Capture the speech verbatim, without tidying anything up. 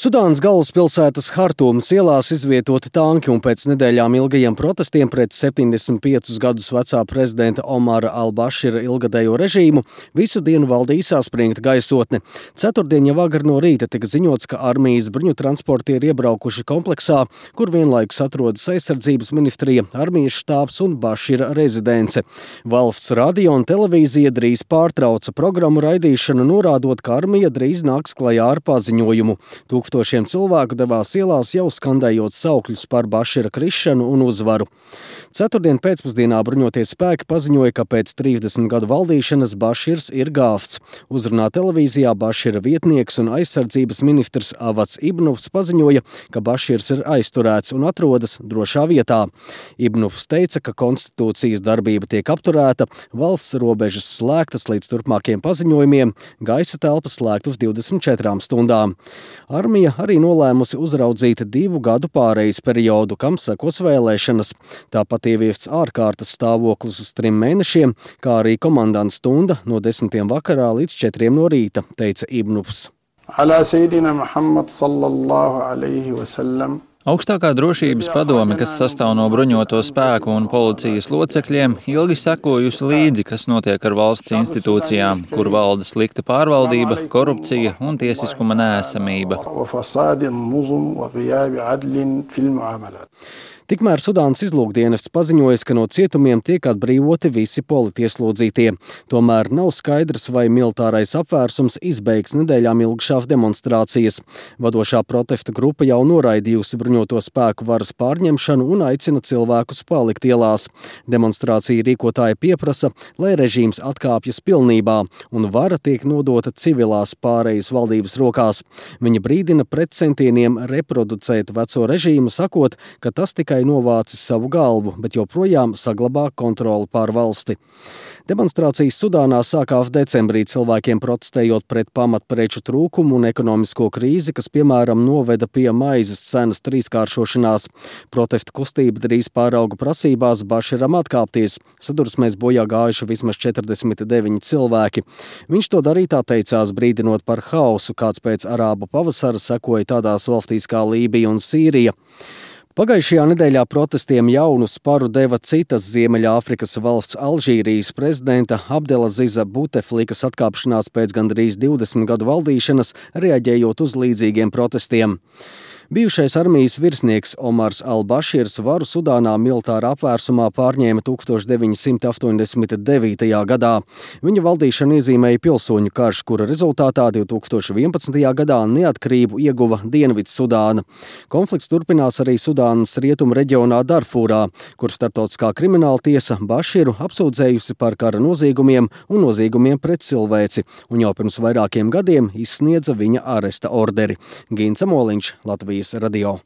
Sudānas galvaspilsētas Hartūmas ielās izvietoti tanki un pēc nedēļām ilgajiem protestiem pret septiņdesmit piecus gadus vecā prezidenta Omara al-Bašira ilgadējo režīmu visu dienu valdīja saspringta gaisotne. Ceturtdien jau agri no rīta tika ziņots, ka armijas bruņutransporti ir iebraukuši kompleksā, kur vienlaikus atrodas aizsardzības ministrija, armijas štābs un Bašira rezidence. Valsts radio un televīzija drīz pārtrauca programmu raidīšanu, norādot, ka armija drīz nāks klajā ar paziņojumu. Tūkstošiem cilvēku devās ielās, jau skandējot saukļus par Bašira krišanu un uzvaru. Ceturtdien pēcpusdienā bruņotie spēki paziņoja, ka pēc trīsdesmit gadu valdīšanas Baširs ir gāvts. Uzrunā televīzijā Bašira vietnieks un aizsardzības ministrs Avats Ibnufs paziņoja, ka Baširs ir aizturēts un atrodas drošā vietā. Ibnufs teica, ka konstitūcijas darbība tiek apturēta, valsts robežas slēgtas līdz turpmākiem paziņojumiem, gaisa telpas slēgtas divdesmit četrām stundām. Armija arī nolēmusi uzraudzīt divu gadu pārejas periodu, kam sekos vēlēšanas. Tāpat ieviests ārkārtas stāvoklis uz trim mēnešiem, kā arī komandants stunda no desmitiem vakarā līdz četriem no rīta, teica Ibnufs. Alā Seidina Muhammad sallallahu alayhi wa sallam. Augstākā drošības padome, kas sastāv no bruņoto spēku un policijas locekļiem, ilgi sekojusi līdzi, kas notiek ar valsts institūcijām, kur valda slikta pārvaldība, korupcija un tiesiskuma neesamība. Tikmēr Sudānas izlūkdienests paziņojas, ka no cietumiem tiek atbrīvoti visi politieslodzītie. Tomēr nav skaidrs, vai militārais apvērsums izbeigs nedēļām ilgšās demonstrācijas. Vadošā protesta grupa jau noraidījusi bruņoto spēku varas pārņemšanu un aicina cilvēkus palikt ielās. Demonstrācija rīkotāji pieprasa, lai režīms atkāpjas pilnībā un vara tiek nodota civilās pārejas valdības rokās. Viņa brīdina pret centieniem reproducēt veco režīmu, sakot, ka tas tikai novācis savu galvu, bet joprojām saglabā kontroli pār valsti. Demonstrācijas Sudānā sākās decembrī, cilvēkiem protestējot pret pamatpreču trūkumu un ekonomisko krīzi, kas, piemēram, noveda pie maizes cenas trīskāršošanās. Protesta kustība drīz pārauga prasībās Baširam atkāpties. Sadursmēs bojā gājuši vismaz četrdesmit deviņi cilvēki. Viņš to darītā teicās, brīdinot par hausu, kāds pēc arābu pavasara sekoja tādās valstīs kā Lībija un Sīrija. Pagājušajā nedēļā protestiem jaunu sparu deva citas Ziemeļāfrikas valsts Alžīrijas prezidenta Abdelaziza Buteflikas atkāpšanās pēc gandrīz divdesmit gadu valdīšanas, reaģējot uz līdzīgiem protestiem. Bijušais armijas virsnieks Omars al-Baširs varu Sudānā militārā apvērsumā pārņēma tūkstoš deviņi simti astoņdesmit devītajā gadā. Viņa valdīšanu iezīmēja pilsoņu karš, kura rezultātā divi tūkstoši vienpadsmitajā gadā neatkarību ieguva Dienvidsudāna. Konflikts turpinās arī Sudānas rietumu reģionā Darfūrā, kur starptautiskā krimināla tiesa Baširu apsūdzējusi par kara noziegumiem un noziegumiem pret cilvēci, un jau pirms vairākiem gadiem izsniedza viņa aresta orderi. Gins Amoliņš, Latvijas radio.